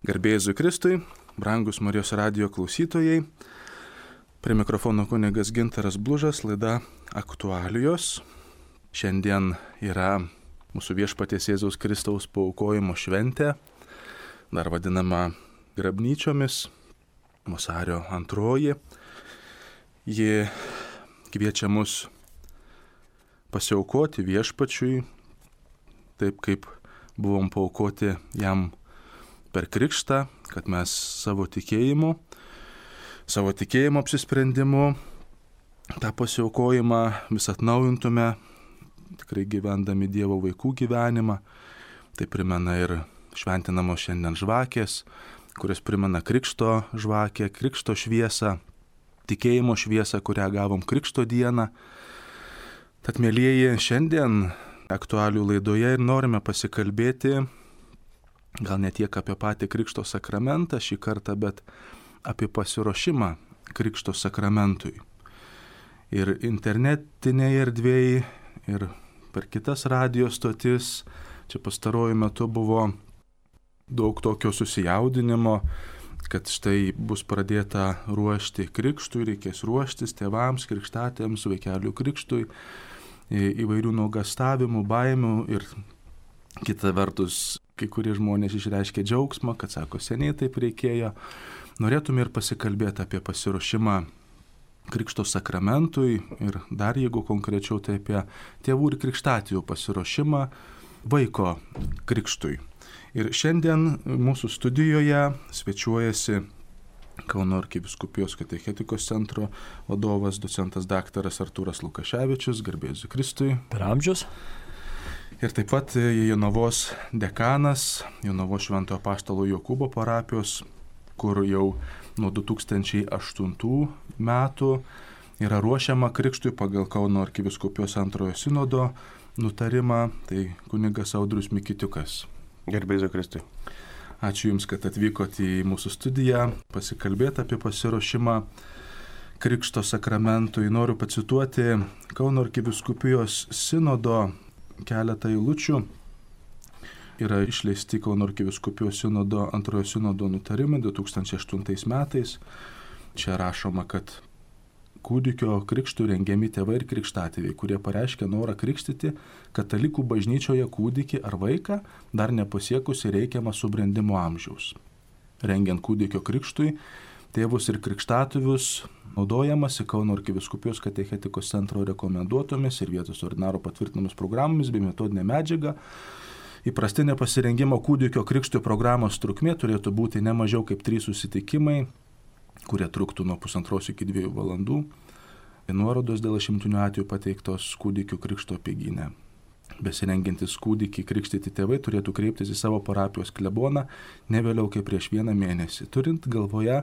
Garbė Jėzui Kristui, brangus Marijos radijo klausytojai, prie mikrofono kunigas Gintaras Blužas, laida Aktualijos. Šiandien yra mūsų Viešpaties Jėzaus Kristaus paaukojimo šventė, dar vadinama grabnyčiomis, vasario 2. Ji kviečia mus pasiaukoti Viešpačiui, taip kaip buvom paaukoti jam per krikštą, kad mes savo tikėjimu apsisprendimu tą pasiaukojimą vis atnaujintume, tikrai gyvendami Dievo vaikų gyvenimą. Tai primena ir šventinamos šiandien žvakės, kuris primena krikšto žvakę, krikšto šviesą, tikėjimo šviesą, kurią gavom krikšto dieną. Tad, mielieji, šiandien aktualijų laidoje ir norime pasikalbėti gal ne tiek apie patį krikšto sakramentą šį kartą, bet apie pasiruošimą krikšto sakramentui. Ir internetinėje erdvėje, ir per kitas radijo stotis, čia pastaruoju metu buvo daug tokio susijaudinimo, kad štai bus pradėta ruošti krikštui, reikės ruoštis tėvams, krikštatėms, vaikelių krikštui, įvairių nuogąstavimų, baimių ir kita vertus, kai kurie žmonės išreiškė džiaugsmą, kad sako, seniai taip reikėjo. Norėtume ir pasikalbėti apie pasiruošimą krikšto sakramentui ir dar jeigu konkrečiau, tai apie tėvų ir krikštatėvių pasiruošimą vaiko krikštui. Ir šiandien mūsų studijoje svečiuojasi Kauno arkivyskupijos katechetikos centro vadovas, docentas daktaras Artūras Lukaševičius, garbė Jėzui Kristui. Per amžius. Ir taip pat Jonavos dekanas, Jonavos Šventojo Apaštalo Jokūbo parapijos, kur jau nuo 2008 metų yra ruošiama krikštui pagal Kauno arkivyskupijos antrojo sinodo nutarimą, tai kunigas Audrius Mikitiukas. Garbė Jėzui Kristui. Ačiū Jums, kad atvykote į mūsų studiją, pasikalbėti apie pasiruošimą krikšto sakramentui. Noriu pacituoti Kauno arkivyskupijos sinodo keletą eilučių. Yra išleisti Kauno arkivyskupijos sinodo antrojo sinodo nutarimai 2008 metais. Čia rašoma, kad kūdikio krikštų rengiami tėvai ir krikštatėviai, kurie pareiškia norą krikštyti katalikų bažnyčioje kūdikį ar vaiką, dar nepasiekusi reikiamą subrendimo amžiaus. Rengiant kūdikio krikštui, tėvus ir krikštatėvius naudojamasi Kauno arkivyskupijos katechetikos centro rekomenduotomis ir vietos ordinaro patvirtinamomis programomis bei metodinė medžiaga. Įprastinė pasirengimo kūdikio krikštui programos trukmė turėtų būti ne mažiau kaip 3 susitikimai, kurie truktų nuo 1,5 iki 2 valandų. Nuorodos dėl išimtinių atvejų pateiktos kūdikių krikšto apeigyne. Besirengiantis kūdikį krikštyti tėvai turėtų kreiptis į savo parapijos kleboną ne vėliau kaip prieš 1 mėnesį. Turint galvoje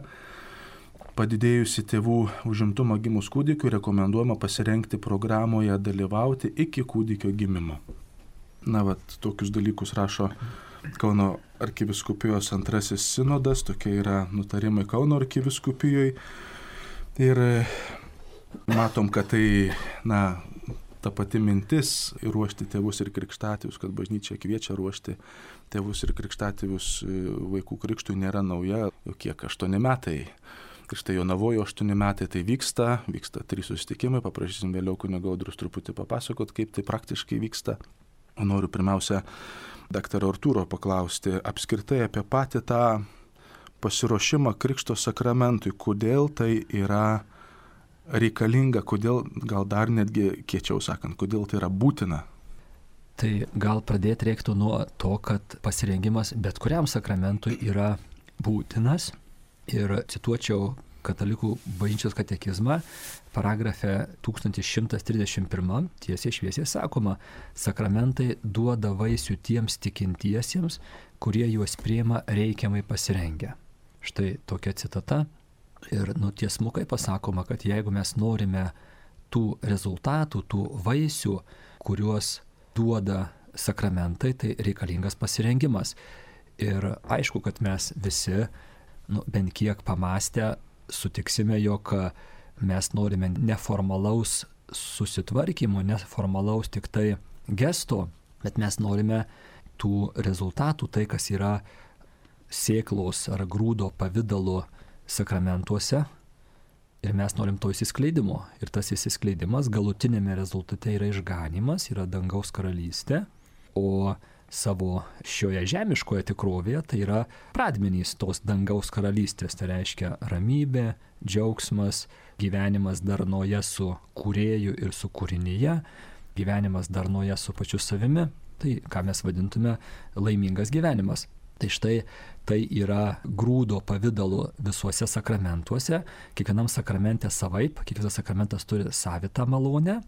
padidėjusi tėvų užimtumą gimus kūdikiu, rekomenduojama pasirengti programoje dalyvauti iki kūdikio gimimo. Tokius dalykus rašo Kauno arkivyskupijos antrasis sinodas, tokie yra nutarimai Kauno arkivyskupijoje. Ir matom, kad tai, ta pati mintis ruošti tėvus ir krikštatėvius, kad bažnyčia kviečia ruošti tėvus ir krikštatėvius vaikų krikštui nėra nauja, jau kiek 8 metai. Ir štai Jonavoje 8 metai tai vyksta 3 susitikimai, paprašysim vėliau kunigo Audrius truputį papasakot, kaip tai praktiškai vyksta. O noriu pirmiausia daktaro Artūro paklausti apskritai apie patį tą pasiruošimą krikšto sakramentui, kodėl tai yra reikalinga, kodėl, gal dar netgi kiečiau sakant, kodėl tai yra būtina. Tai gal pradėti reiktų nuo to, kad pasirengimas bet kuriam sakramentui yra būtinas. Ir cituočiau Katalikų bažnyčios katekizmą, paragrafe 1131 tiesiai šviesiai sakoma, sakramentai duoda vaisių tiems tikintiesiems, kurie juos priima reikiamai pasirengę. Štai tokia citata. Ir tiesmukai pasakoma, kad jeigu mes norime tų rezultatų, tų vaisių, kuriuos duoda sakramentai, tai reikalingas pasirengimas. Ir aišku, kad mes visi, bent kiek pamastę, sutiksime, jog mes norime neformalaus susitvarkymo, neformalaus tik tai gesto, bet mes norime tų rezultatų, tai kas yra sėklos ar grūdo pavidalo sakramentuose ir mes norim to įsiskleidimo. Ir tas įsiskleidimas galutinėme rezultate yra išganymas, yra dangaus karalystė, o savo šioje žemiškoje tikrovėje tai yra pradmenys tos dangaus karalystės, tai reiškia ramybė, džiaugsmas, gyvenimas darnoje su kūrėju ir su kūrinyje, gyvenimas darnoje su pačiu savimi, tai ką mes vadintume laimingas gyvenimas. Tai štai tai yra grūdo pavidalu visuose sakramentuose, kiekvienam sakramente savaip, kiekvienas sakramentas turi savitą malonę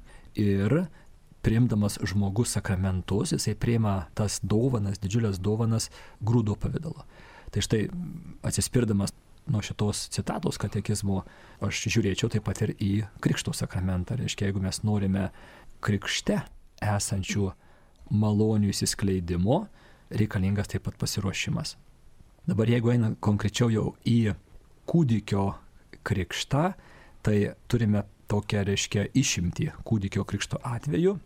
ir priimdamas žmogus sakramentus, jisai priima tas dovanas, didžiulės dovanas grūdo pavidalu. Tai štai atsispirdamas nuo šitos citatos katekizmo, aš žiūrėčiau taip pat ir į krikšto sakramentą. Reiškia, jeigu mes norime krikšte esančių malonių įsiskleidimo, reikalingas taip pat pasiruošimas. Dabar jeigu einame konkrečiau jau į kūdikio krikštą, tai turime tokią, reiškia, išimtį kūdikio krikšto atveju.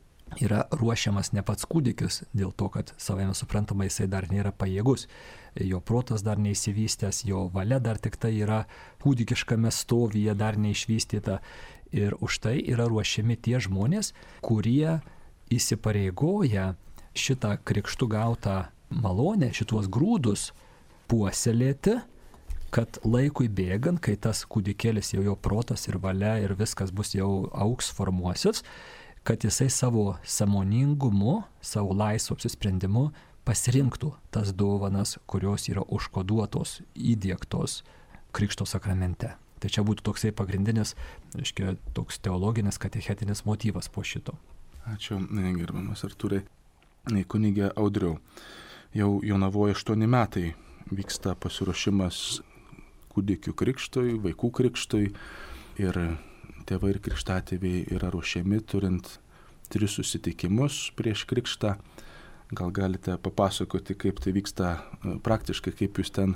Yra ruošiamas ne pats kūdikis dėl to, kad savaime suprantama jisai dar nėra pajėgus, jo protas dar neįsivystęs, jo valia dar tik tai yra kūdikiškame stovyje dar neišvystyta. Ir už tai yra ruošiami tie žmonės, kurie įsipareigoja šitą krikštų gautą malonę, šituos grūdus puoselėti, kad laikui bėgant, kai tas kūdikėlis jau jo protas ir valia ir viskas bus jau augs, formuosis, kad jisai savo sąmoningumu, savo laisvu apsisprendimu pasirinktų tas dovanas, kurios yra užkoduotos, įdiegtos krikšto sakramente. Tai čia būtų toksai pagrindinis, reiškia, toks teologinis, katechetinis motyvas po šito. Ačiū, gerbiamas Artūrai. Kunigė Audriau, jau Jonavoje 8 metai vyksta pasiruošimas kūdikių krikštui, vaikų krikštui ir tėvai ir krikštatėviai yra ruošiami turint 3 susitikimus prieš krikštą. Gal galite papasakoti, kaip tai vyksta praktiškai, kaip jūs ten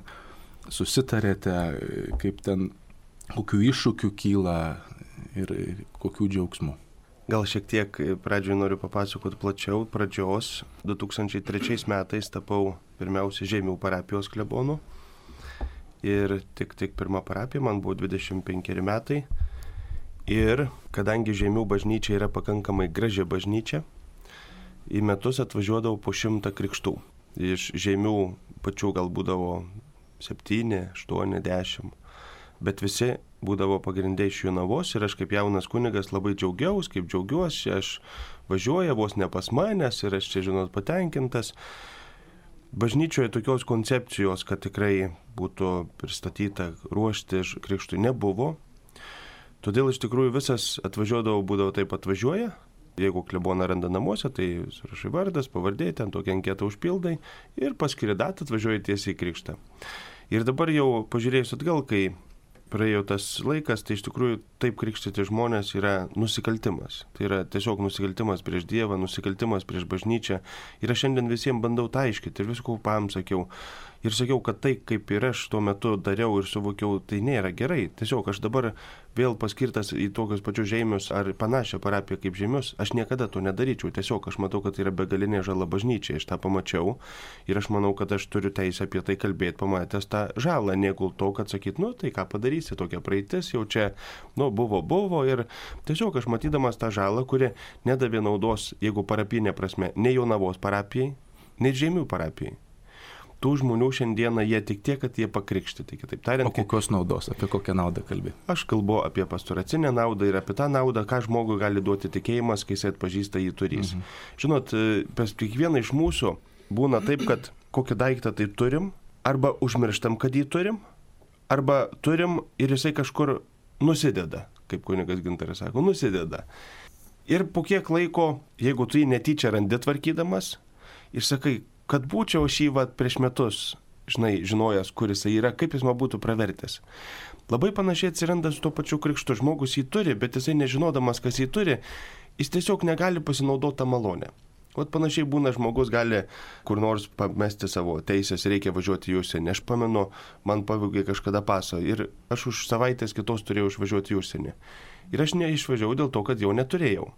susitarėte, kaip ten, kokių iššūkių kyla ir kokių džiaugsmų. Gal šiek tiek pradžioje noriu papasakoti plačiau. Pradžios 2003 metais tapau pirmiausia Žeimių parapijos klebonu. Ir tik pirma parapija, man buvo 25 metai. Ir kadangi Žeimių bažnyčia yra pakankamai graži bažnyčia, į metus atvažiuodavau po 100 krikštų. Iš Žeimių pačių gal būdavo 7, 8, 10. Bet visi būdavo pagrindai iš Jonavos ir aš kaip jaunas kunigas labai džiaugiuosi, aš važiuoju vos ne pas manęs ir aš čia, žinot, patenkintas. Bažnyčioje tokios koncepcijos, kad tikrai būtų pristatyta ruošti krikštui, nebuvo. Todėl iš tikrųjų visas atvažiuodavo, būdavo taip atvažiuoja. Jeigu kleboną randa namuose, tai surašai vardas, pavardė, ten tokią anketą užpildai ir paskiri datą, atvažiuoji tiesiai į krikštą. Ir dabar jau pažiūrėjus atgal, kai praėjo tas laikas, tai iš tikrųjų taip krikštyti žmonės yra nusikaltimas. Tai yra tiesiog nusikaltimas prieš Dievą, nusikaltimas prieš bažnyčią. Ir aš šiandien visiems bandau tą aiškinti ir viskų sakiau. Ir sakiau, kad tai, kaip ir aš tuo metu dariau ir suvokiau, tai nėra gerai. Tiesiog aš dabar vėl paskirtas į tokius pačius Žeimius ar panašią parapiją kaip Žeimius, aš niekada to nedaryčiau. Tiesiog aš matau, kad tai yra begalinė žala bažnyčiai. Aš tą pamačiau ir aš manau, kad aš turiu teisę apie tai kalbėti, pamatęs tą žalą, negu to, kad sakyt, tai ką padarysi, tokia praeitis, jau čia, buvo ir tiesiog aš matydamas tą žalą, kuri nedavė naudos, jeigu parapinė prasme, nei Jonavos parapijai, nei Žeimių parapijai. Tų žmonių šiandieną jie tik tiek, kad jie pakrikštyti. Kitaip tariant, o kokios naudos, apie kokią naudą kalbė? Aš kalbu apie pastoracinę naudą ir apie tą naudą, ką žmogui gali duoti tikėjimas, kai jis atpažįsta jį turys. Žinot, pas kiekvieną iš mūsų būna taip, kad kokį daiktą tai turim, arba užmirštam, kad jį turim, arba turim ir jisai kažkur nusideda, kaip kunigas Gintaras sako, nusideda. Ir po kiek laiko, jeigu tu jį netyčia randi tvarkydamas ir sakai, kad būčiau šį prieš metus, žinojęs, kur jisai yra, kaip jis man būtų pravertęs. Labai panašiai atsiranda su tuo pačiu krikštu. Žmogus jį turi, bet jisai nežinodamas, kas jį turi, jis tiesiog negali pasinaudoti tą malonę. Panašiai būna, žmogus gali kur nors pamesti savo teisės, reikia važiuoti į užsienį. Aš pamenu, man pavogė kažkada pasą ir aš už savaitės kitos turėjau išvažiuoti į užsienį. Ir aš neišvažiavau dėl to, kad jau neturėjau.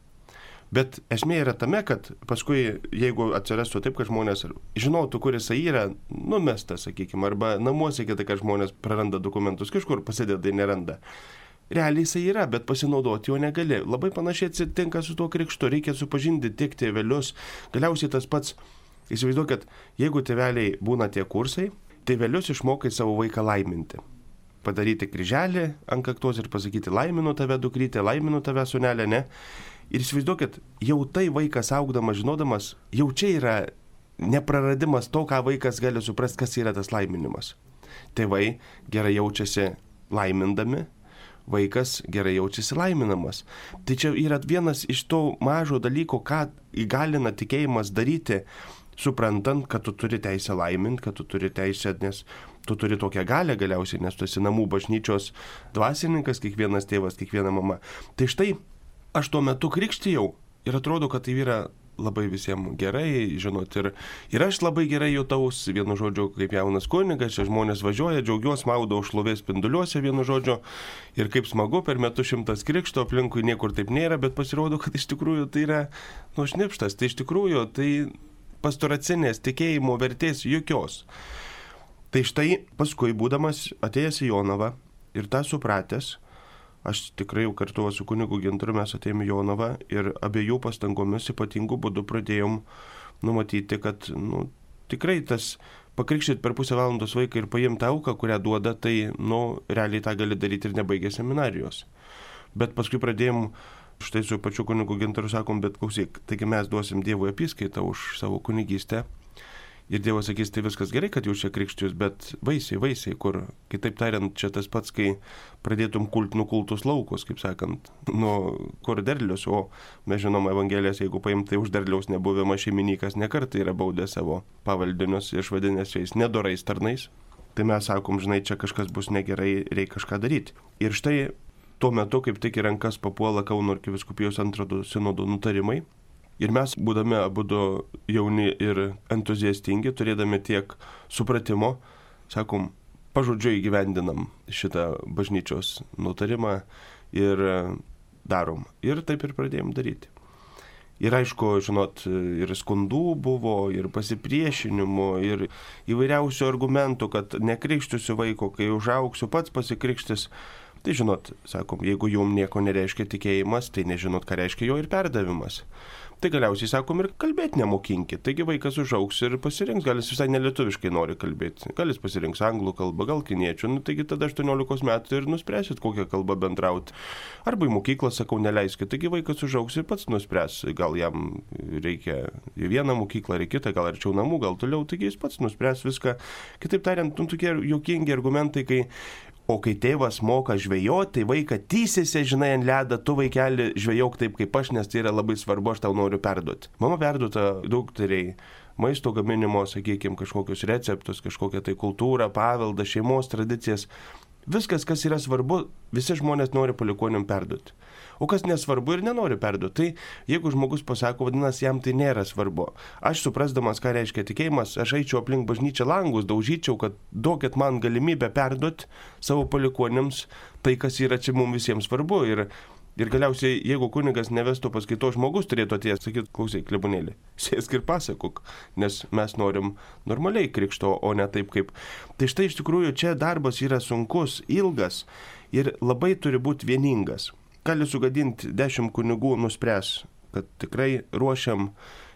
Bet esmė yra tame, kad paskui, jeigu atsirastų taip, kad žmonės žinotų, kur jisai yra numestas, sakykime, arba namuose kita, kad žmonės praranda dokumentus, kažkur pasideda ir neranda. Realiai jisai yra, bet pasinaudoti jo negali. Labai panašiai atsitinka su tuo krikštu, reikia supažinti tiek tėvelius. Galiausiai tas pats, įsivaizduok, kad jeigu tėveliai būna tie kursai, tėvelius išmokai savo vaiką laiminti. Padaryti kryželį ant kaktos ir pasakyti laiminu tave dukrytė, laiminu tave sūnelė, ne? Ir įsivaizduokit, jau tai vaikas augdamas, žinodamas, jau čia yra nepraradimas to, ką vaikas gali suprasti, kas yra tas laiminimas. Tėvai gerai jaučiasi laimindami, vaikas gerai jaučiasi laiminamas. Tai čia yra vienas iš to mažo dalyko, ką įgalina tikėjimas daryti, suprantant, kad tu turi teisę laiminti, kad tu turi teisę, nes tu turi tokią galę galiausiai, nes tu esi namų bažnyčios dvasininkas, kiekvienas tėvas, kiekviena mama. Tai štai aš tuo metu krikštijau ir atrodo, kad tai yra labai visiems gerai, žinot, ir aš labai gerai jutaus, vienu žodžiu, kaip jaunas kunigas, čia žmonės važiuoja, džiaugiuosi, maudau šlovės spinduliuose, vienu žodžiu, ir kaip smagu, per metus 100 krikšto, aplinkui niekur taip nėra, bet pasirodo, kad iš tikrųjų tai yra šnipštas, tai iš tikrųjų tai pastoracinės tikėjimo vertės jokios. Tai štai paskui, būdamas atėjęs į Jonavą ir tą supratęs, aš tikrai jau kartu su kunigu Gintaru mes atėjome į Jonavą ir abiejų pastangomis ypatingų būdų pradėjom numatyti, kad tikrai tas pakrikštyti per pusę valandos vaiką ir paimti auką, kurią duoda, tai realiai tą gali daryti ir nebaigę seminarijos. Bet paskui pradėjom, štai su pačiu kunigu Gintaru sakom, bet klausyk, taigi mes duosim Dievui apyskaitą už savo kunigystę. Ir Dievas sakys, tai viskas gerai, kad jūs čia krikštijus, bet vaisiai, kur, kitaip tariant, čia tas pats, kai pradėtum nukultus laukus, kaip sakant, kur derlius, o mes žinom Evangelijas, jeigu paimti, tai už derliaus nebuvimą šeimininkas nekartą yra baudęs savo pavaldinius, išvadinęs jais nedorais tarnais. Tai mes sakom, žinai, čia kažkas bus negerai, reikia kažką daryti. Ir štai tuo metu, kaip tik į rankas papuola Kauno arkivyskupijos antrojo sinodo nutarimai. Ir mes, būdami abudu jauni ir entuziastingi, turėdami tiek supratimo, sakom, pažodžiui įgyvendinam šitą bažnyčios nutarimą ir darom. Ir taip ir pradėjom daryti. Ir aišku, žinot, ir skundų buvo, ir pasipriešinimų, ir įvairiausių argumentų, kad nekrikštysiu vaiko, kai užaugsiu, pats pasikrikštis. Tai žinot, sakom, jeigu jums nieko nereiškia tikėjimas, tai nežinot, ką reiškia jo ir perdavimas. Tai galiausiai sakom ir kalbėti nemokinkit. Taigi vaikas užaugs ir pasirinks, gal jis visai nelietuviškai nori kalbėti. Gal jis pasirinks anglų kalbą, gal kiniečių. Taigi tada 18 metų ir nuspręsit, kokią kalbą bendrauti. Arba į mokyklą, sakau, neleiskit. Taigi vaikas užaugs ir pats nuspręs. Gal jam reikia į vieną mokyklą, ar į kitą, gal arčiau namų, gal toliau. Taigi jis pats nuspręs viską. Kitaip tariant, tokie juokingi argumentai, kai tėvas moka žvejoti, tai vaiką tysėsi, žinai, ant ledą, tu vaikeli žvejok taip kaip aš, nes tai yra labai svarbu, aš tau noriu perduoti. Mama perduota dukteriai maisto gaminimo, sakykime, kažkokius receptus, kažkokią tai kultūrą, paveldą, šeimos tradicijas. Viskas, kas yra svarbu, visi žmonės nori palikuoniam perduoti. O kas nesvarbu ir nenori perduoti, tai jeigu žmogus pasako, vadinasi, jam tai nėra svarbu. Aš suprasdamas, ką reiškia tikėjimas, aš eičiau aplink bažnyčią langus, daužyčiau, kad duokit man galimybę perduoti savo palikuoniams tai, kas yra čia mums visiems svarbu. Ir galiausiai, jeigu kunigas nevestų paskaitos, žmogus turėtų atėjęs sakyti, klausyk, klebonėlį, sėsk ir pasakok, nes mes norim normaliai krikšto, o ne taip kaip. Tai štai iš tikrųjų čia darbas yra sunkus, ilgas ir labai turi būti vieningas. Gali sugadinti 10 kunigų, nuspręs, kad tikrai ruošiam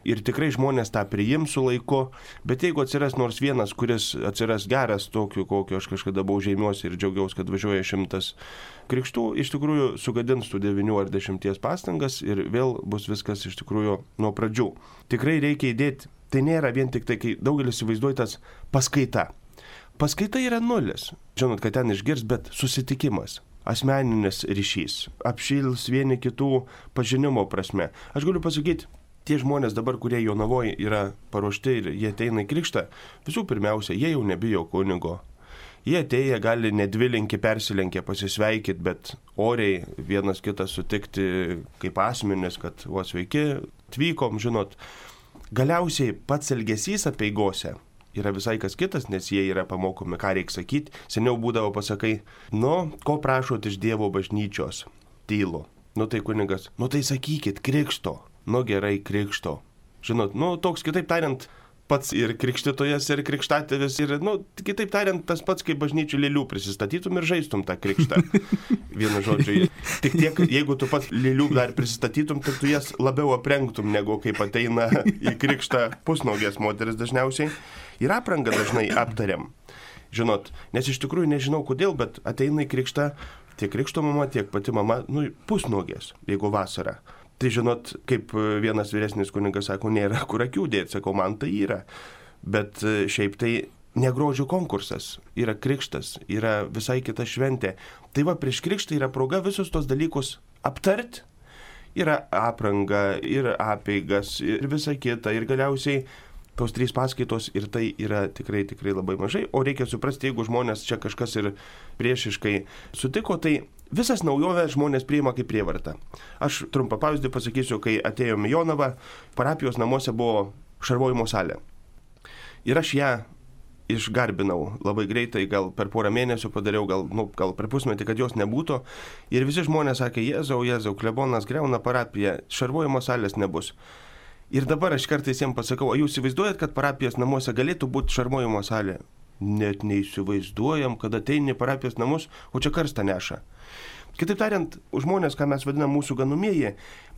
ir tikrai žmonės tą priims su laiku, bet jeigu atsiras nors vienas, kuris atsiras geras tokiu, kokio aš kažkada buvau žeimiuosi ir džiaugiausi, kad važiuoja 100 krikštų, iš tikrųjų sugadins tų 9 ar 10 pastangas ir vėl bus viskas iš tikrųjų nuo pradžių. Tikrai reikia įdėti, tai nėra vien tik tai, kai daugelis įsivaizduoja tas paskaita. Paskaita yra nulis, žinot, kad ten išgirs, bet susitikimas. Asmeninis ryšys, apšils vieni kitų pažinimo prasme. Aš galiu pasakyti, tie žmonės dabar, kurie Jonavoje yra paruošti ir jie ateina į krikštą, visų pirmiausia, jie jau nebijo kunigo. Jie atėję gali nedvilinki persilenkę pasisveikyti, bet oriai vienas kitą sutikti kaip asmenis, kad sveiki, atvykom, žinot. Galiausiai pats elgesys apeigose yra visai kas kitas, nes jie yra pamokomi, ką reikia sakyti. Seniau būdavo pasakai, ko prašot iš Dievo bažnyčios? Tylu. Tai kunigas, tai sakykit, krikšto. nu gerai, krikšto. Žinot, toks, kitaip tariant, pats ir krikštytojas, ir krikštatėvis, ir, kitaip tariant, tas pats, kaip bažnyčių lėlių prisistatytum ir žaistum tą krikštą. Vienu žodžiu, tik tiek, jeigu tu pats lėlių dar prisistatytum, tai tu jas labiau aprengtum, negu kaip ateina į krikštą pusnaugės moteris dažniausiai. Ir aprangą dažnai aptariam. Žinot, nes iš tikrųjų nežinau kodėl, bet ateina į krikštą tiek krikšto mama, tiek pati mama, pusnaugės, jeigu vasara. Tai žinot, kaip vienas vyresnis kunigas sako, nėra kur akių dėti, sakau, man tai yra. Bet šiaip tai negrožio konkursas, yra krikštas, yra visai kita šventė. Tai va, prieš krikštą yra proga visus tos dalykus aptart. Yra apranga, ir apeigas, ir visa kita, ir galiausiai tos 3 paskaitos, ir tai yra tikrai labai mažai. O reikia suprasti, jeigu žmonės čia kažkas ir priešiškai sutiko, tai visas naujoves žmonės priima kaip prievartą. Aš trumpą pavyzdį pasakysiu, kai atėjome į Jonavą, parapijos namuose buvo šarvojimo salė. Ir aš ją išgarbinau labai greitai, gal per porą mėnesių padariau, gal per pusmetį, kad jos nebūtų. Ir visi žmonės sakė, Jėzau, klebonas griauna parapiją, šarvojimo salės nebus. Ir dabar aš kartais jiems pasakau, o jūs įsivaizduojat, kad parapijos namuose galėtų būti šarvojimo salė? Net neįsivaizduojam, kad ateini į parapijos namus, o čia karstą neša. Kitaip tariant, žmonės, ką mes vadinam mūsų ganumieji,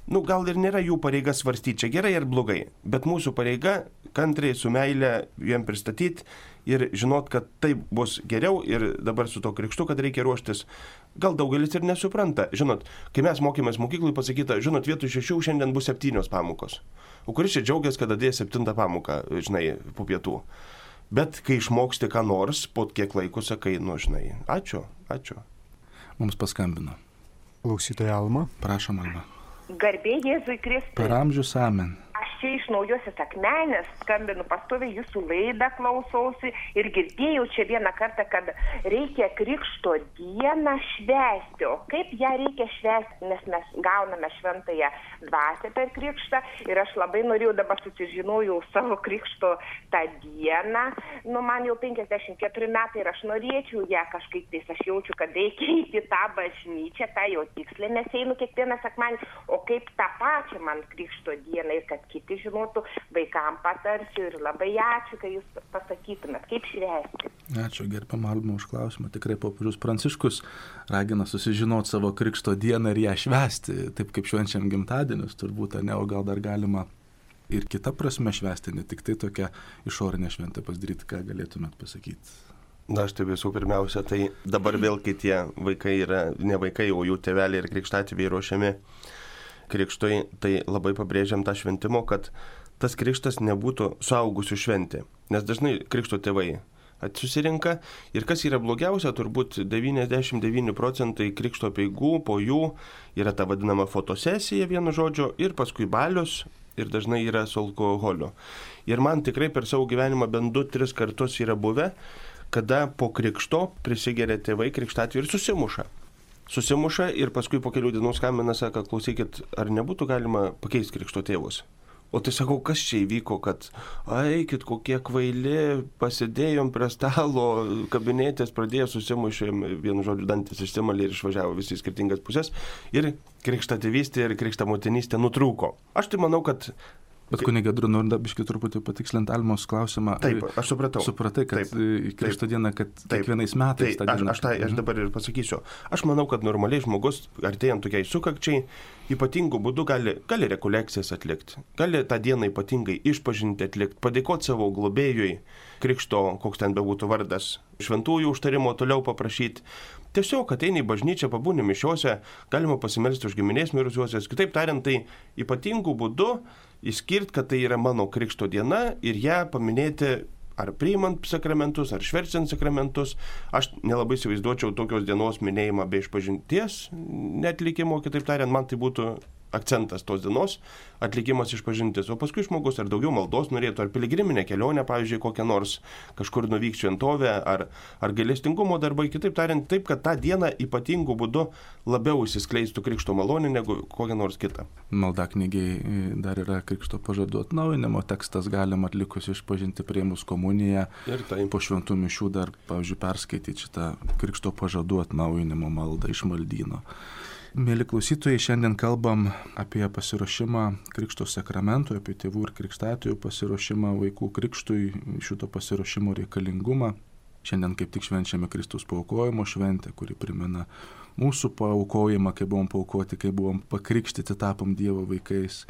gal ir nėra jų pareiga svarstyti, čia gerai ar blogai, bet mūsų pareiga kantriai su meile jiem pristatyti ir žinot, kad taip bus geriau ir dabar su to krikštu, kad reikia ruoštis. Gal daugelis ir nesupranta. Žinot, kai mes mokėmės mokyklai, pasakyta, žinot, vietoj 6 šiandien bus 7 pamokos. O kuris čia džiaugiasi, kad atėjo 7 pamoką, po pietų. Bet kai išmoksti ką nors, po kiek laiko sakai, ačiū. Mums paskambino. Klausytoja Alma. Prašom, Alma. Garbė Jėzui Kristui. Per amžius amen. Aš čia iš Naujosios Akmenės skambinu pastoviai, jūsų laidą klausausi ir girdėjau čia vieną kartą, kad reikia Krikšto dieną švęsti. O kaip ją reikia švęsti, nes mes gauname šventąją dvasią per Krikštą ir aš labai norėjau, dabar susižinojau savo Krikšto tą dieną. Man jau 54 metai ir aš norėčiau ją kažkaip tais, aš jaučiu, kad reikia įti tą bažnyčią, tą jau tikslę, nes einu kiekvieną sekmanį, o kaip tą pačią man Krikšto dieną ir kad kiti žinotų, vaikam patarsiu ir labai ačiū, kai jūs pasakytumėt, kaip švęsti. Ačiū, gerbiama Alma, už klausimą. Tikrai popiežius Pranciškus ragina susižinoti savo Krikšto dieną ir ją švęsti, taip kaip švenčiam gimtadienius, turbūt, o gal dar galima ir kitą prasme švęsti, ne tik tai tokia išorinė šventė pasidaryti, ką galėtumėt pasakyti. Aš tai visų pirmiausia, tai dabar vėl, kai tie vaikai yra ne vaikai, o jų tėveliai ir krikštatėviai ruošiami krikštui, tai labai pabrėžiam tą šventimo, kad tas krikštas nebūtų suaugusių šventė. Nes dažnai krikšto tėvai susirinka ir kas yra blogiausia, turbūt 99% krikšto apeigų, po jų yra ta vadinama fotosesija, vienu žodžiu, ir paskui balius, ir dažnai yra su alkoholiu. Ir man tikrai per savo gyvenimą bent 2-3 kartus yra buvę, kada po krikšto prisigeria tėvai krikštatėviai ir susimuša ir paskui po kelių dienų skambina, sako, klausykit, ar nebūtų galima pakeisti krikšto tėvus? O tai sakau, kas čia įvyko, kad eikit, kokie kvaili, pasidėjom prie stalo, kabinėtės, pradėjo susimušėm, vienu žodžiu, dantis išsimalė ir išvažiavo visi į skirtingas pusės ir krikštatėvystė ir krikštamotinystė nutrūko. Aš tai manau, kad Bet kunigė Drū, noriu biškį truputį patikslinti Almos klausimą. Taip, aš supratau. Supratai, kad Krikšto diena, kad kiekvienais metais tą dieną. Aš dabar ir pasakysiu. Aš manau, kad normaliai žmogus, artėjant tokiai sukakčiai, ypatingų būdų gali rekolekcijas atlikti. Gali tą dieną ypatingai išpažinti atlikti, padėkoti savo globėjui, Krikšto, koks ten bebūtų vardas, šventųjų užtarimo toliau paprašyti. Tiesiog ateini į bažnyčią, pabūni mišiose, galima pasimelsti už giminės mirusiuosius. Kitaip tariant, tai ypatingų būdų išskirti, kad tai yra mano Krikšto diena ir ją paminėti ar priimant sakramentus, ar šverčiant sakramentus. Aš nelabai įsivaizduočiau tokios dienos minėjimą be išpažinties neatlikimo, kitaip tariant, man tai būtų akcentas tos dienos, atlikimas išpažintis. O paskui žmogus ar daugiau maldos norėtų, ar piligriminę kelionę, pavyzdžiui, kokią nors kažkur nuvykti šventovę, ar gailestingumo darbai, kitaip tariant, taip, kad tą dieną ypatingų būdu labiau įsiskleistų Krikšto malonė negu kokią nors kitą. Maldaknygiai dar yra Krikšto pažadų atnaujinimo tekstas, galima atlikus išpažinti priėmus komuniją ir tai po šventų mišių dar, pavyzdžiui, perskaityti šitą Krikšto pažadų atnaujinimo maldą iš maldyno. Mėly klausytojai, šiandien kalbam apie pasiruošimą Krikšto sakramentui, apie tėvų ir krikštatųjų pasiruošimą vaikų krikštui, šito pasiruošimo reikalingumą. Šiandien kaip tik švenčiame Kristaus paaukojimo šventę, kuri primena mūsų paaukojimą, kai buvom paaukoti, kai buvom pakrikštyti, tapom Dievo vaikais.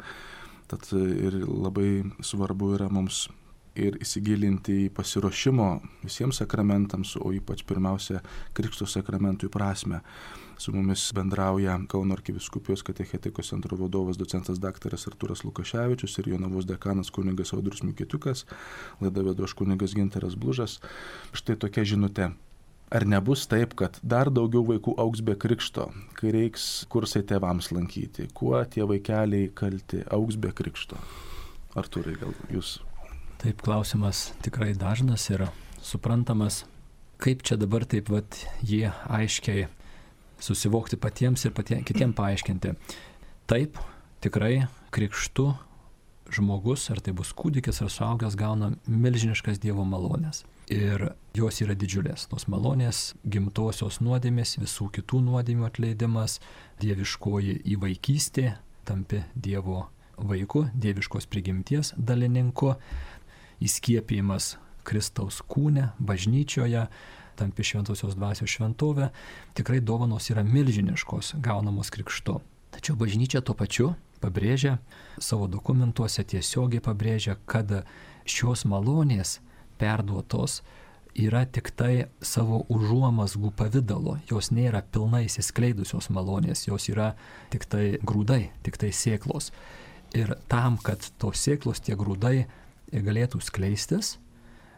Tad ir labai svarbu yra mums ir įsigilinti į pasiruošimo visiems sakramentams, o ypač pirmiausia Krikšto sakramentui prasme. Su mumis bendrauja Kauno arkivyskupijos katechetikos centro vadovas docentas daktaras Artūras Lukaševičius ir Jonavos dekanas kunigas Audrius Mikitiukas. Laidą vedu aš kunigas Gintaras Blužas. Štai tokia žinutė. Ar nebus taip, kad dar daugiau vaikų augs be krikšto, kai reiks kursai tėvams lankyti? Kuo tie vaikeliai kalti augs be krikšto? Artūrai, gal jūs? Taip, klausimas tikrai dažnas ir suprantamas. Kaip čia dabar taip jį aiškiai susivokti patiems ir kitiem paaiškinti. Taip, tikrai krikštu žmogus, ar tai bus kūdikis ar suaugęs, gauna milžiniškas Dievo malonės. Ir jos yra didžiulės. Tos malonės, gimtosios nuodėmės, visų kitų nuodėmių atleidimas, dieviškoji įvaikystė, tampi Dievo vaiku, dieviškos prigimties dalininku, įskiepijimas Kristaus kūne, bažnyčioje, tampi šventosios dvasios šventovė, tikrai dovanos yra milžiniškos gaunamos krikštu. Tačiau bažnyčia tuo pačiu pabrėžia, savo dokumentuose tiesiogiai pabrėžia, kad šios malonės perduotos yra tik tai savo užuomazgų pavidalo, jos nėra pilnai įsiskleidusios malonės, jos yra tik tai grūdai, tik tai sėklos. Ir tam, kad tos sėklos, tie grūdai galėtų skleistis,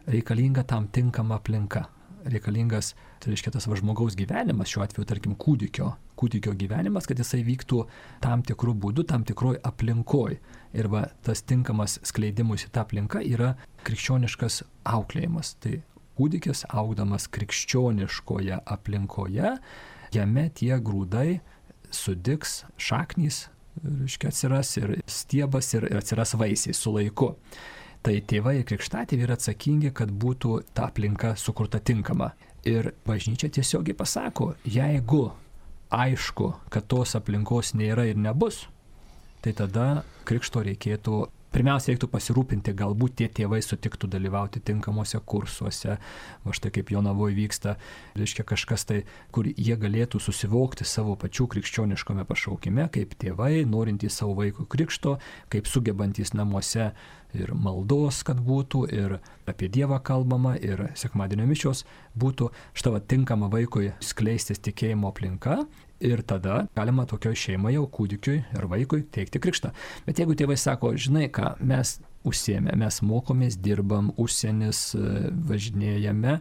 reikalinga tam tinkama aplinka. Reikalingas, tai reiškia tas žmogaus gyvenimas, šiuo atveju, tarkim, kūdikio gyvenimas, kad jisai vyktų tam tikrų būdų, tam tikroj aplinkoj. Ir tas tinkamas skleidimus į tą aplinką yra krikščioniškas auklėjimas. Tai kūdikis augdamas krikščioniškoje aplinkoje, jame tie grūdai sudigs, šaknys, reiškia, atsiras ir stiebas ir atsiras vaisiai su laiku. Tai tėvai ir krikštatėviai yra atsakingi, kad būtų ta aplinka sukurta tinkama. Ir bažnyčia tiesiogiai pasako, jeigu aišku, kad tos aplinkos nėra ir nebus, tai tada krikšto pirmiausia reiktų pasirūpinti, galbūt tie tėvai sutiktų dalyvauti tinkamuose kursuose, štai kaip Jonavoje vyksta, reiškia kažkas tai, kur jie galėtų susivokti savo pačių krikščioniškame pašaukime, kaip tėvai, norintys savo vaiko krikšto, kaip sugebantys namuose ir maldos, kad būtų, ir apie Dievą kalbama, ir sekmadienio mišios būtų štai tinkama vaikui skleistis tikėjimo aplinka. Ir tada galima tokioj šeimai jau kūdikiui ir vaikui teikti krikštą. Bet jeigu tėvai sako, žinai ką, mes užsiėmė, mes mokomės, dirbam, užsienis, važinėjame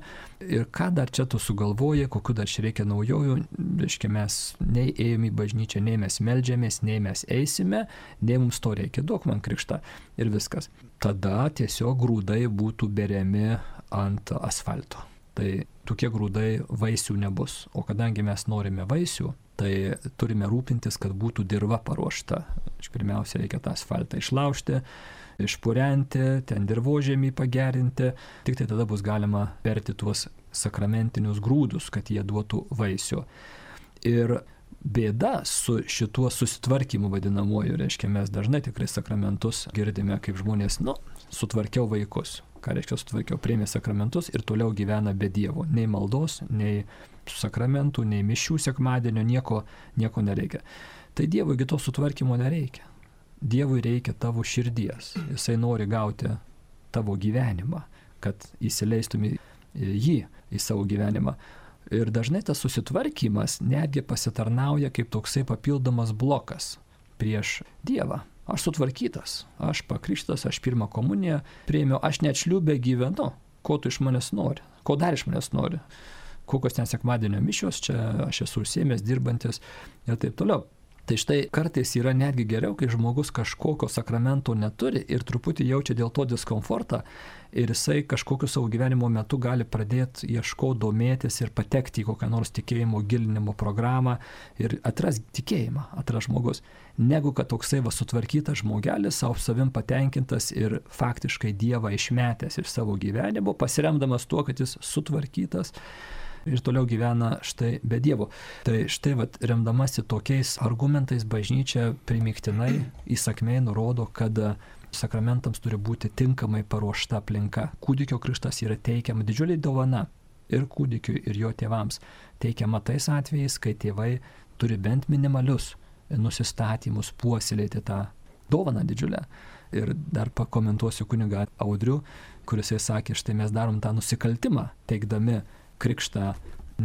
ir ką dar čia tu sugalvoji, kokiu dar čia reikia naujojų, reiškia mes nei ėjome į bažnyčią, nei mes meldžiamės, nei mes eisime, nei mums to reikia, duok man krikštą ir viskas. Tada tiesiog grūdai būtų beriami ant asfalto. Tai tokie grūdai vaisių nebus. O kadangi mes norime vaisių, tai turime rūpintis, kad būtų dirva paruošta. Pirmiausia, reikia tą asfaltą išlaužti, išpurenti, ten dirvožėmį pagerinti. Tik tai tada bus galima perti tuos sakramentinius grūdus, kad jie duotų vaisių. Ir bėda su šituo susitvarkymu vadinamuoju, reiškia, mes dažnai tikrai sakramentus girdime, kaip žmonės, sutvarkiau vaikus. Ką reiškia sutvarkiau, priėmė sakramentus ir toliau gyvena be Dievo. Nei maldos, nei sakramentų, nei mišių sekmadienio, nieko nereikia. Tai Dievui to sutvarkymo nereikia. Dievui reikia tavo širdies. Jisai nori gauti tavo gyvenimą, kad įsileistumi jį į savo gyvenimą. Ir dažnai tas susitvarkymas netgi pasitarnauja kaip toksai papildomas blokas prieš Dievą. Aš sutvarkytas, aš pakrikštas, aš pirmą komuniją priėmiau, aš net šliūbe gyvenu. Ko tu iš manęs nori? Ko dar iš manęs nori? Kokios ten sekmadienio mišios, čia aš esu užsiėmęs, dirbantis ir taip toliau. Tai štai kartais yra netgi geriau, kai žmogus kažkokio sakramento neturi ir truputį jaučia dėl to diskomfortą ir jisai kažkokiu savo gyvenimo metu gali pradėti ieškoti, domėtis ir patekti į kokią nors tikėjimo gilinimo programą ir atras tikėjimą, atras žmogus. Negu kad toksai sutvarkytas žmogelis, savo savim patenkintas ir faktiškai Dievą išmetęs iš savo gyvenimo, pasiremdamas tuo, kad jis sutvarkytas, ir toliau gyvena štai be Dievo. Tai štai remdamasi tokiais argumentais bažnyčia primygtinai įsakmiai nurodo, kad sakramentams turi būti tinkamai paruošta aplinka. Kūdikio krikštas yra teikiama didžiulė dovana ir kūdikiui, ir jo tėvams. Teikiama tais atvejais, kai tėvai turi bent minimalius nusistatymus puoselėti tą dovaną didžiulę. Ir dar pakomentuosiu kunigą Audrių, kuris sakė, štai mes darom tą nusikaltimą, teikdami krikštą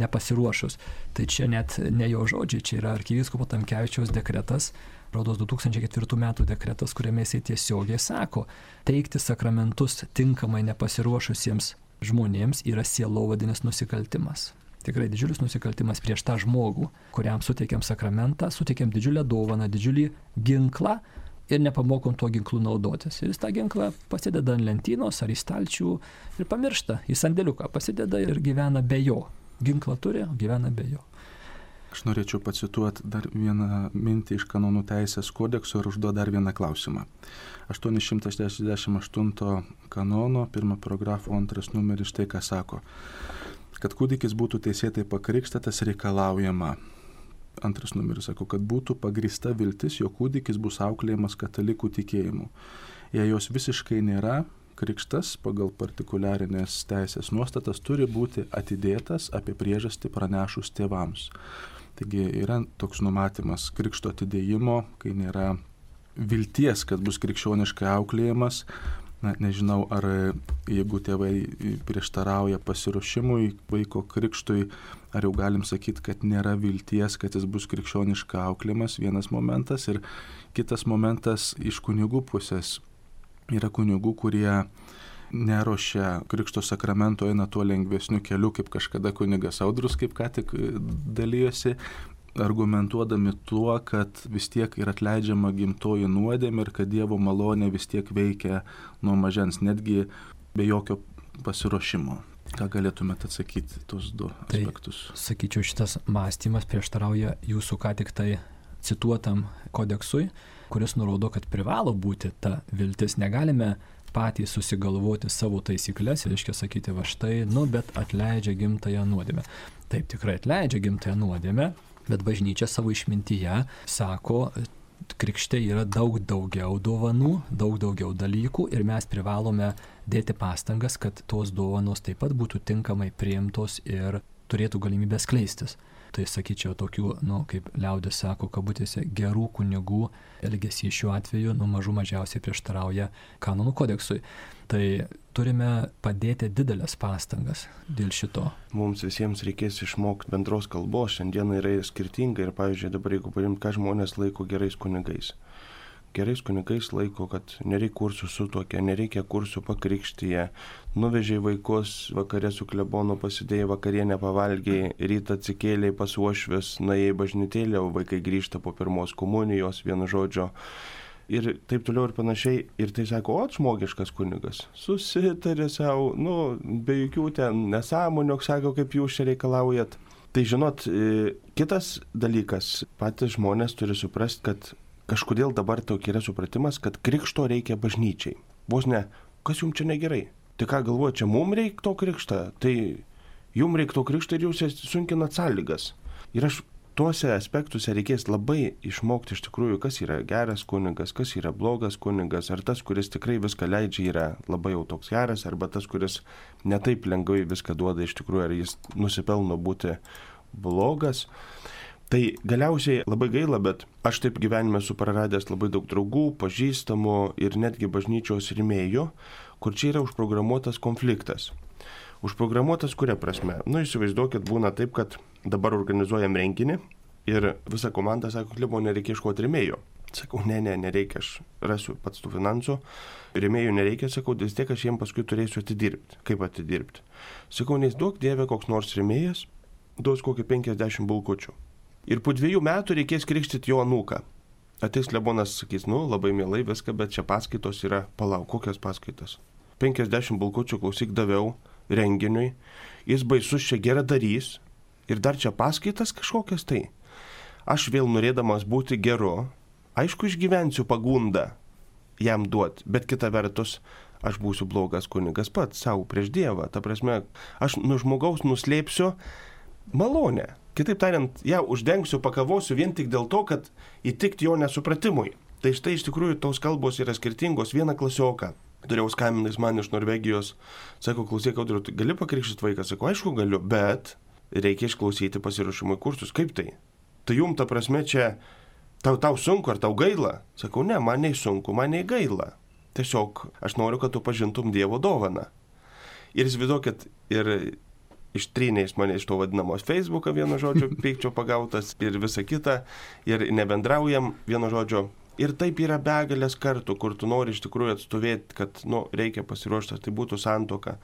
nepasiruošus. Tai čia net ne jo žodžiai, čia yra arkivyskupo Tamkevičiaus dekretas, rodos 2004 metų dekretas, kuriame jisai tiesiogiai sako, teikti sakramentus tinkamai nepasiruošusiems žmonėms yra sielovadinis nusikaltimas. Tikrai didžiulis nusikaltimas prieš tą žmogų, kuriam suteikiam sakramentą, suteikiam didžiulę dovaną, didžiulį ginklą ir nepamokom tuo ginklu naudotis. Ir jis tą ginklą pasideda ant lentynos ar į stalčių ir pamiršta, į sandėliuką pasideda ir gyvena be jo. Ginklą turi, gyvena be jo. Aš norėčiau pacituoti dar vieną mintį iš kanonų teisės kodekso ir užduoti dar vieną klausimą. 868 kanono, 1 paragrafo 2 numeris štai ką sako. Kad kūdikis būtų teisėtai pakrikštytas reikalaujama. 2 numeris sako, kad būtų pagrįsta viltis, jog kūdikis bus auklėjamas katalikų tikėjimu. Jei jos visiškai nėra, krikštas pagal partikuliarinės teisės nuostatas turi būti atidėtas apie priežastį pranešus tėvams. Taigi yra toks numatymas krikšto atidėjimo, kai nėra vilties, kad bus krikščioniškai auklėjamas. Na, nežinau, ar jeigu tėvai prieštarauja pasiruošimui vaiko krikštui, ar jau galim sakyti, kad nėra vilties, kad jis bus krikščioniškai auklėjamas, vienas momentas. Ir kitas momentas iš kunigų pusės. Yra kunigų, kurie neruošia krikšto sakramento, eina tuo lengvesniu keliu, kaip kažkada kunigas Audrius, kaip ką tik dalyjosi, argumentuodami tuo, kad vis tiek yra atleidžiama gimtoji nuodėmė ir kad Dievo malonė vis tiek veikia nuo mažens, netgi be jokio pasiruošimo. Ką galėtumėte atsakyti tos du aspektus? Tai, sakyčiau, šitas mąstymas prieštarauja jūsų ką tik tai cituotam kodeksui, kuris nurodo, kad privalo būti ta viltis. Negalime patys susigalvoti savo taisyklės, reiškia sakyti, va štai, bet atleidžia gimtąją nuodėmę. Taip, tikrai atleidžia gimtąją nuodėmę, bet bažnyčia savo išmintyje sako, krikšte yra daug daugiau dovanų, daug daugiau dalykų ir mes privalome dėti pastangas, kad tos dovanos taip pat būtų tinkamai priimtos ir turėtų galimybę skleistis. Tai sakyčiau, tokių, kaip liaudis sako, kabutėse, gerų kunigų elgesys šiuo atveju, mažų mažiausiai prieštarauja kanonų kodeksui. Tai turime padėti didelės pastangas dėl šito. Mums visiems reikės išmokti bendros kalbos, šiandien yra skirtinga ir, pavyzdžiui, dabar jeigu paimti, ką žmonės laiko gerais kunigais. Gerais kunigais laiko, kad nereikia kursų sutuokia, nereikia kursų pakrikštyje, nuvežė vaikus vakarė su klebonu, pasidėjai vakarienę, pavalgiai, rytą atsikėlė pas uošvis, nuėjai bažnytėlę, o vaikai grįžta po pirmos komunijos, vienu žodžiu. Ir taip toliau ir panašiai. Ir tai sako, žmogiškas kunigas. Susitarė savo, be jokių ten nesąmonių, sako, kaip jūs čia reikalaujat. Tai žinot, kitas dalykas, patys žmonės turi suprasti, kad kažkodėl dabar tokia yra supratimas, kad krikšto reikia bažnyčiai. Vos ne, kas jums čia negerai? Tai ką galvoja, čia mums reikia to krikštą? Tai jums reikia to krikštą ir jūs sunkinat sąlygas. Ir tuose aspektuose reikės labai išmokti iš tikrųjų, kas yra geras kunigas, kas yra blogas kunigas, ar tas, kuris tikrai viską leidžia, yra labai jau toks geras, arba tas, kuris netaip lengvai viską duoda iš tikrųjų, ar jis nusipelno būti blogas. Tai galiausiai labai gaila, bet aš taip gyvenime esu praradęs labai daug draugų, pažįstamų ir netgi bažnyčios rėmėjų, kur čia yra užprogramuotas konfliktas. Užprogramuotas kuria prasme? Įsivaizduokit, būna taip, kad dabar organizuojam renginį ir visa komanda sako, klibo, nereikia ieškoti rėmėjų. Sakau, nereikia, aš rasiu pats tų finansų. Rėmėjų nereikia, sakau, vis tiek aš jiems paskui turėsiu atidirbti. Kaip atidirbti? Sakau, neįsivaizduok Dieve koks nors rėmėjas, duos kokį 50 bulkučių. Ir po 2 metų reikės krikštyti jo anūką. Ateis klebonas, sakys, labai mielai viską, bet čia paskaitos yra, palauk, kokios paskaitos. 50 bulkučių klausyk daviau renginiui, jis baisus čia geradarys ir dar čia paskaitas kažkokias tai. Aš vėl norėdamas būti geru, aišku, išgyvensiu pagundą jam duoti, bet kita vertus, aš būsiu blogas kunigas pats savo prieš Dievą. Ta prasme, aš nuo žmogaus nuslėpsiu malonę. Kitaip tariant, ją uždengsiu, pakavosiu vien tik dėl to, kad įtikti jo nesupratimui. Tai štai iš tikrųjų tos kalbos yra skirtingos. Vieną klasioką turėjau skambinais man iš Norvegijos. Sako, klausyk, Audriau, gali pakrikštyti vaiką? Sako, aišku galiu, bet reikia išklausyti pasiruošimo kursus. Kaip tai? Tai jum ta prasme čia tau sunku ar tau gaila? Sakau, ne, man nei sunku, man nei gaila. Tiesiog aš noriu, kad tu pažintum Dievo dovaną. Ir įsivaizduokit, ir ištrynės mane iš to vadinamos Facebooką, vieno žodžio, pykčio pagautas ir visa kita, ir nebendraujam, vieno žodžio. Ir taip yra begalės kartų, kur tu nori iš tikrųjų atstovėti, kad, reikia pasiruošti, tai būtų santuoka.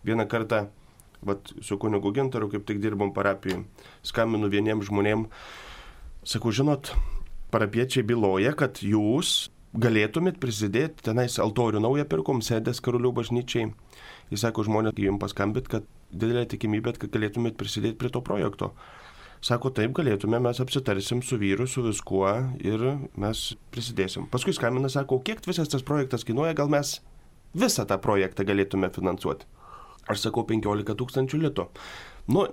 Vieną kartą, su kunigu Gintaru, kaip tik dirbom parapijai, skambinu vieniems žmonėms, sakau, žinot, parapiečiai byloja, kad jūs galėtumėt prisidėti, tenais altorių naują pirkom, sėdės Karulių bažnyčiai. Jis sako, žmonės, jums paskambit, kad didelė tikimybė, kad galėtumėt prisidėti prie to projekto. Sako, taip galėtume, mes apsitarsim su vyru, su viskuo ir mes prisidėsim. Paskui skambina, sako, kiek visas tas projektas kainuoja, gal mes visą tą projektą galėtume finansuoti. Aš sakau, 15 000 litų.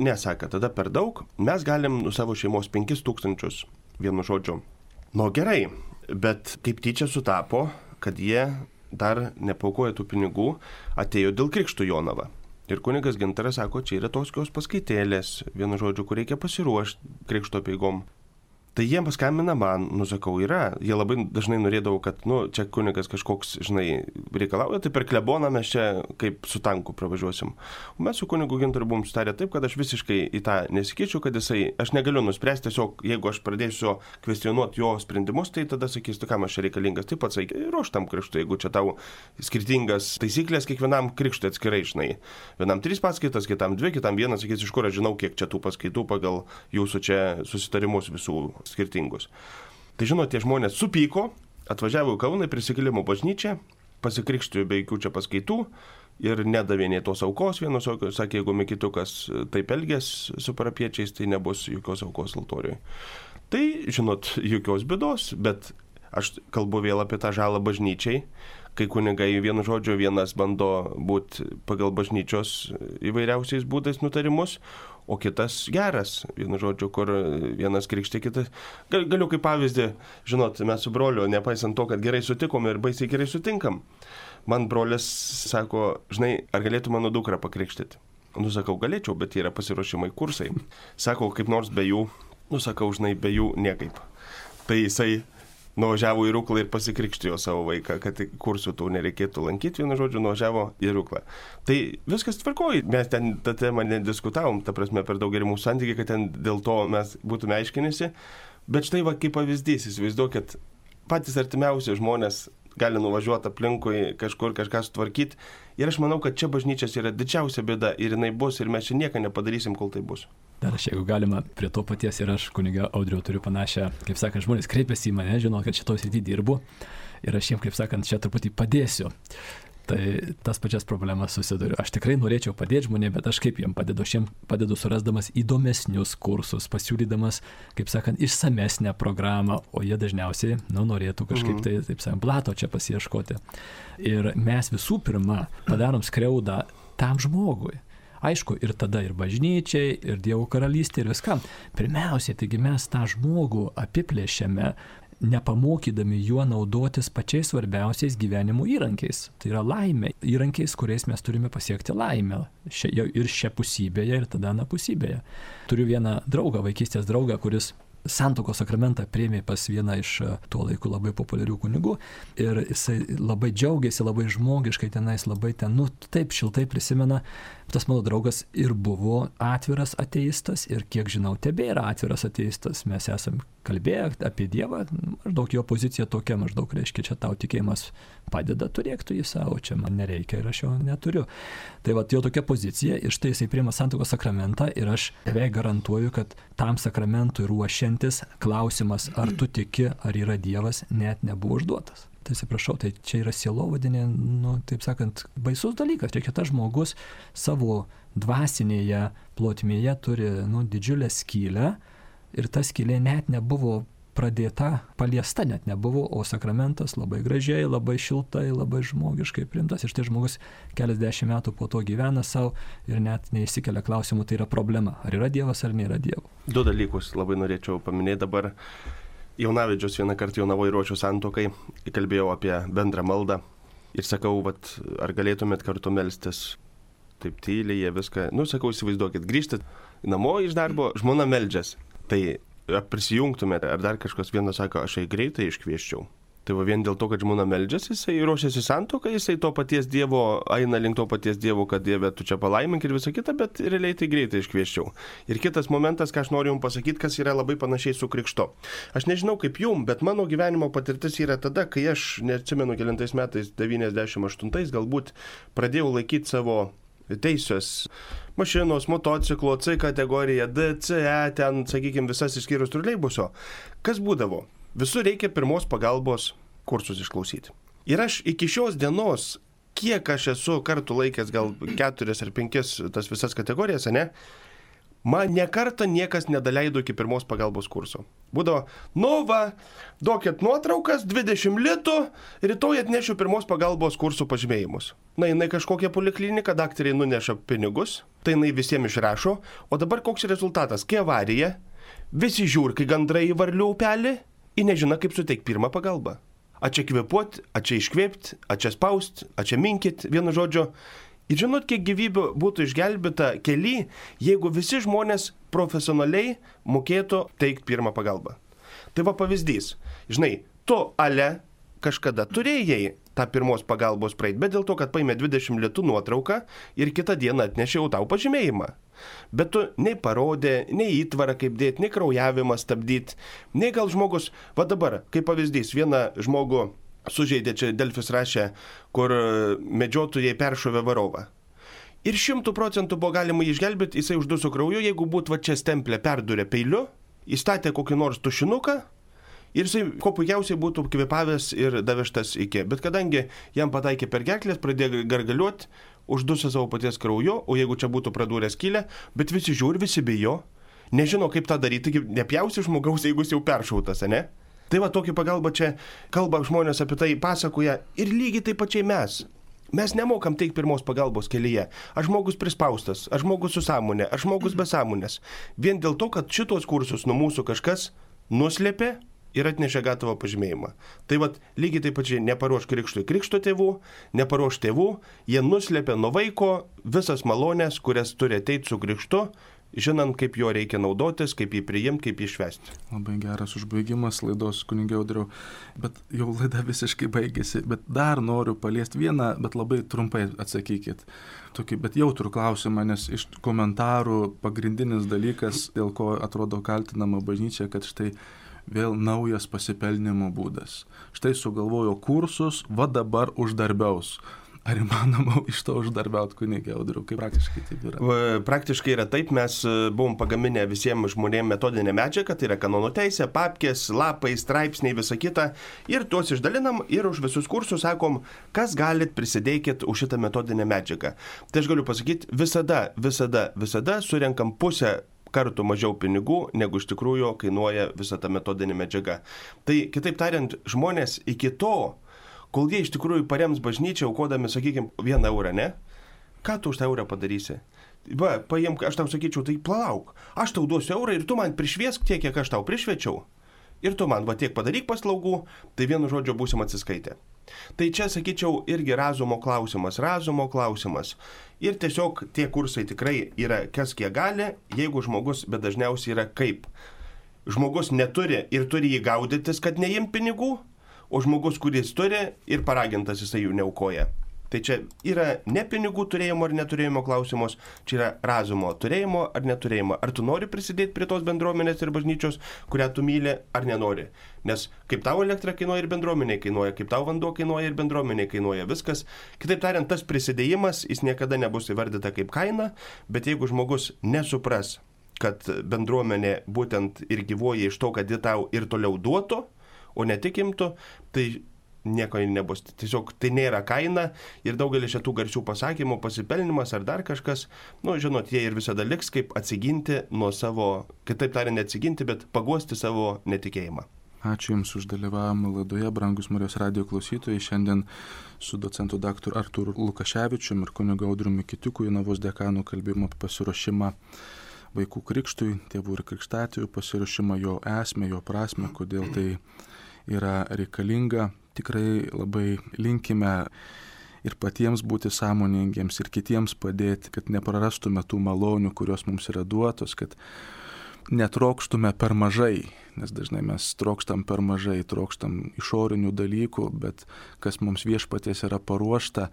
Nesaka, tada per daug, mes galim savo šeimos 5 000, vienu žodžiu. Gerai, bet kaip tyčia sutapo, kad jie dar nepaukoja tų pinigų, atėjo dėl krikštų Jonava. Ir kunigas Gintaras sako, čia yra toskios paskaitėlės, vienu žodžiu, kur reikia pasiruošti krikšto apeigom. Tai jie paskambina man, sakau, yra. Jie labai dažnai norėdavo, kad, čia kunigas kažkoks, reikalauja, tai per kleboną mes čia kaip su tanku pravažiuosim. O mes su kunigu Gintaru buvom sutarę taip, kad aš visiškai į tą nesikičiu, kad aš negaliu nuspręsti, tiesiog jeigu aš pradėsiu kvestionuoti jo sprendimus, tai tada sakys, tu kam aš čia reikalingas, taip pat sakai, ruoš tam krikštui, jeigu čia tau skirtingas taisyklės kiekvienam krikštui atskirai, vienam 3 paskaitas, kitam 2, kitam 1, sakys, iš kur aš žinau, kiek čia tų paskaitų pagal jūsų čia susitarimus visų skirtingus. Tai tie žmonės supyko, atvažiavo į Kauną, prisikėlimo bažnyčią, pasikrikštijo be jokių čia paskaitų ir nedavė nei tos aukos. Vienas sakė, jeigu Mikitukas taip elgės su parapiečiais, tai nebus jokios aukos altorijoje. Tai, jokios bėdos, bet aš kalbu vėl apie tą žalą bažnyčiai, kai kunigai vienu žodžiu vienas bando būti pagal bažnyčios įvairiausiais būdais nutarimus, o kitas geras, vienu žodžiu, kur vienas krikštė, kitas. Galiu kaip pavyzdį, mes su broliu, nepaisant to, kad gerai sutikom ir baisiai gerai sutinkam, man brolis sako, ar galėtų mano dukrą pakrikštyti? Sakau, galėčiau, bet yra pasiruošimai kursai. Sako, kaip nors be jų, sakau, be jų niekaip. Tai jisai nuvažiavo į Ruklą ir pasikrikštijo savo vaiką, kad kursų tų nereikėtų lankyti, vienu žodžiu, nuvažiavo į Ruklą. Tai viskas tvarkoja, mes ten tą temą nediskutavom, ta prasme, per daug geri mūsų santykiai, kad ten dėl to mes būtume aiškinėsi, bet štai kaip pavyzdys, įsivaizduokit, patys artimiausi žmonės gali nuvažiuoti aplinkui, kažkur kažką sutvarkyti ir aš manau, kad čia bažnyčias yra didžiausia bėda ir jinai bus ir mes čia nieko nepadarysim, kol tai bus. Dar aš, jeigu galima, prie to paties ir aš, kunigą Audriau, turiu panašią, kaip sakant, žmonės kreipiasi į mane, žino, kad šitoj srity dirbu ir aš jiems, kaip sakant, čia truputį padėsiu. Tai tas pačias problemas susiduriu. Aš tikrai norėčiau padėti žmonėms, bet aš kaip jiems padedu? Aš jiems padedu surasdamas įdomesnius kursus, pasiūlydamas, kaip sakant, išsamesnę programą, o jie dažniausiai, norėtų kažkaip tai, taip sakant, blato čia pasiieškoti. Ir mes visų pirma padarom skriaudą tam žmogui. Aišku, ir tada ir bažnyčiai, ir Dievo karalystė, ir viskam. Pirmiausiai, taigi mes tą žmogų apiplėšiame, nepamokydami juo naudotis pačiais svarbiausiais gyvenimo įrankiais. Tai yra laimė, įrankiais, kuriais mes turime pasiekti laimę. Ir šiapusybėje, ir tada anapusybėje. Turiu vieną draugą, vaikystės draugą, kuris santuokos sakramentą priėmė pas vieną iš tuo laiku labai populiarių kunigų ir jisai labai džiaugiasi, labai žmogiškai tenais, labai taip šiltai prisimena. Tas mano draugas ir buvo atviras ateistas ir kiek žinau, tebėra atviras ateistas. Mes esam kalbėję apie Dievą, maždaug jo pozicija tokia, maždaug reiškia, čia tau tikėjimas padeda, turėk tu jį savo, čia man nereikia ir aš jo neturiu. Tai jo tokia pozicija ir štai jisai priima santuokos sakramentą ir aš beveik garantuoju, kad tam sakramentui ruošiantis klausimas, ar tu tiki, ar yra Dievas, net nebuvo užduotas. Tai atsiprašau, tai čia yra sielovadinė, taip sakant, baisus dalykas. Reikia tas žmogus savo dvasinėje plotmėje turi didžiulę skylę ir ta skylė net nebuvo pradėta, paliesta net nebuvo, o sakramentas labai gražiai, labai šiltai, labai žmogiškai priimtas. Ir štai žmogus keliasdešimt metų po to gyvena savo ir net neįsikelia klausimų, tai yra problema. Ar yra Dievas, ar nėra Dievo. Du dalykus labai norėčiau paminėti dabar. Jaunavedžius vieną kartą Jonavoj ruošiu santuokai, kalbėjau apie bendrą maldą ir sakau, ar galėtumėt kartu melstis. Taip tyliai, jie viską, sakau, įsivaizduokit, grįžtat namo iš darbo, žmona meldžias. Tai prisijungtumėte, ar dar kažkas, vienas sako, aš jai greitai iškvieščiau. Tai vien dėl to, kad žmona meldžiasi, jisai ruošiasi santuokai, jisai to paties Dievo, eina link to paties Dievo, kad Dieve, tu čia palaimink ir visą kitą, bet realiai tai greitai iškvieščiau. Ir kitas momentas, ką aš noriu jums pasakyti, kas yra labai panašiai su krikštu. Aš nežinau kaip jums, bet mano gyvenimo patirtis yra tada, kai aš, neatsimenu kelintais metais, 98 galbūt, pradėjau laikyti savo teisės mašinos, motociklo, C kategorija, D, C, E, ten, sakykime, visas išskyrus troleibuso. Kas būdavo? Visur reikia pirmos pagalbos kursus išklausyti. Ir aš iki šios dienos, kiek aš esu kartų laikęs, gal 4 ar 5 tas visas kategorijas, ne? Man nekartą niekas nedaleido iki pirmos pagalbos kurso. Būdavo, duokit nuotraukas, 20 litų, rytoj atnešiu pirmos pagalbos kursų pažymėjimus. Jinai kažkokia poliklinika, daktariai nuneša pinigus, tai jinai visiems išrašo, o dabar koks rezultatas? Kai avarija, visi žiūri, kai gandrai į varlių upelį ir nežino, kaip suteikti pirmą pagalbą. A čia kvėpuot, a čia iškvėpti, a čia spaust, a čia minkit, vienu žodžiu. Ir žinot, kiek gyvybių būtų išgelbėta kely, jeigu visi žmonės profesionaliai mokėtų teikti pirmą pagalbą. Tai va pavyzdys. Žinai, tu kažkada turėjai tą pirmos pagalbos praeit, bet dėl to, kad paėmė 20 litų nuotrauką ir kitą dieną atnešiau tau pažymėjimą. Bet tu nei parodė, nei įtvarą kaip dėti, nei kraujavimą stabdyti, nei gal žmogus, va dabar, kaip pavyzdys, vieną žmogų sužeidė, čia Delfis rašė, kur medžiotojai peršovė varovą. Ir 100% buvo galima išgelbėti, jisai užduso krauju, jeigu būtų va čia stemplę perdurė peiliu, įstatė kokį nors tušinuką ir jisai kuo puikiausiai būtų kvėpavęs ir davežtas iki. Bet kadangi jam pataikė per gerklės, pradėjo gargaliuoti, užduso savo paties krauju, o jeigu čia būtų pradūrę skylę, bet visi žiūri, visi bijo, nežino kaip tą daryti, nepjausi žmogaus, jeigu jis jau peršautas, ne? Tai va, tokia pagalba čia kalba žmonės apie tai pasakoja ir lygiai taip pačiai mes. Mes nemokam teikti pirmos pagalbos kelyje. Aš žmogus prispaustas, aš žmogus su sąmonė, aš žmogus be sąmonės. Vien dėl to, kad šitos kursus nuo mūsų kažkas nuslėpė ir atnešė gatavą pažymėjimą. Tai va, lygiai taip pačiai neparuoš krikštui krikšto tėvų, neparuoš tėvų, jie nuslėpė nuo vaiko visas malonės, kurias turi ateiti su krikštu, žinant, kaip jo reikia naudotis, kaip jį priimti, kaip jį švęsti. Labai geras užbaigimas laidos, kunigai Audriau, bet jau laida visiškai baigėsi, bet dar noriu paliesti vieną, bet labai trumpai atsakykit. Tokį, bet jautrų klausimą, nes iš komentarų pagrindinis dalykas, dėl ko atrodo kaltinama bažnyčia, kad štai vėl naujas pasipelnimo būdas. Štai sugalvojo kursus, va dabar uždarbiaus. Ar įmanoma iš to uždarbiauti, kunigai Audriau, kaip praktiškai taip yra? Praktiškai yra taip, mes buvom pagaminę visiems žmonėms metodinę medžiagą, tai yra kanono teisė, papkės, lapai, straipsniai, visa kita, ir tuos išdalinam ir už visus kursus sakom, kas galit prisidėkit už šitą metodinę medžiagą. Tai aš galiu pasakyti, visada surenkam pusę kartų mažiau pinigų, negu iš tikrųjų kainuoja visa ta metodinė medžiaga. Tai kitaip tariant, žmonės iki to, kol jie iš tikrųjų parems bažnyčią, aukodami, sakykime, 1 eurą, ne? Ką tu už tą eurą padarysi? Va, paimk, aš tau sakyčiau, tai palauk, aš tau duosiu eurą ir tu man prišviesk tiek, kiek aš tau prišviečiau. Ir tu man va tiek padaryk paslaugų, tai vienu žodžiu būsim atsiskaitę. Tai čia, sakyčiau, irgi razumo klausimas. Ir tiesiog tie kursai tikrai yra kas kiek gali, jeigu žmogus, bet dažniausiai yra kaip. Žmogus neturi ir turi jį gaudytis, kad neim pinigų, o žmogus, kuris turi ir paragintas, jisai jų neaukoja. Tai čia yra ne pinigų turėjimo ar neturėjimo klausimus, čia yra razumo turėjimo ar neturėjimo. Ar tu nori prisidėti prie tos bendruomenės ir bažnyčios, kurią tu myli, ar nenori. Nes kaip tau elektra kainuoja ir bendruomeniai kainuoja, kaip tau vanduo kainuoja ir bendruomeniai kainuoja, viskas. Kitaip tariant, tas prisidėjimas, jis niekada nebus įvardyta kaip kaina, bet jeigu žmogus nesupras, kad bendruomenė būtent ir gyvuoja iš to, kad ji tau ir toliau duotų, o netikimtų, tai nieko nebus. Tiesiog tai nėra kaina ir daugelis šitų garsių pasakymų, pasipelnimas ar dar kažkas, žinot, jie ir visada liks kaip atsiginti nuo savo, kitaip tariant, neatsiginti, bet paguosti savo netikėjimą. Ačiū Jums už dalyvavimą laidoje, brangus Marijos radijo klausytojai. Šiandien su docentu daktaru Artūru Lukaševičiumi ir kunigu Audriumi Kitiuku, Jonavos dekanu, kalbėjome apie pasiruošimą vaikų krikštui, tėvų ir krikštatėvių pasiruošimą, jo esmę, jo prasme, kodėl tai yra reikalinga. Tikrai labai linkime ir patiems būti sąmoningiems ir kitiems padėti, kad neprarastume tų malonių, kurios mums yra duotos, kad netrokštume per mažai, nes dažnai mes trokštam per mažai, trokštam išorinių dalykų, bet kas mums viešpaties yra paruošta,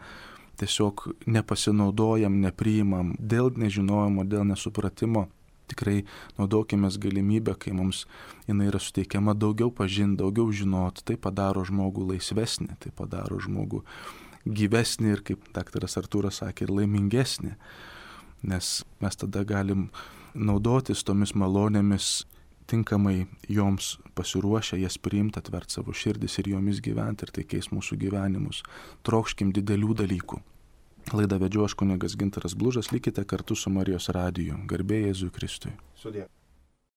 tiesiog nepasinaudojam, nepriimam dėl nežinojimo, dėl nesupratimo. Tikrai naudokimės galimybę, kai mums jinai yra suteikiama daugiau pažinti, daugiau žinoti, tai padaro žmogų laisvesnį, tai padaro žmogų gyvesnį ir, kaip daktaras Artūras sakė, ir laimingesnį, nes mes tada galim naudotis tomis malonėmis, tinkamai joms pasiruošę, jas priimti, atvert savo širdis ir jomis gyventi, ir tai keis mūsų gyvenimus. Trokškim didelių dalykų. Laidą vedžiau aš kunigas Gintaras Blužas, likite kartu su Marijos radiju. Garbė Jėzui Kristui. Sudie.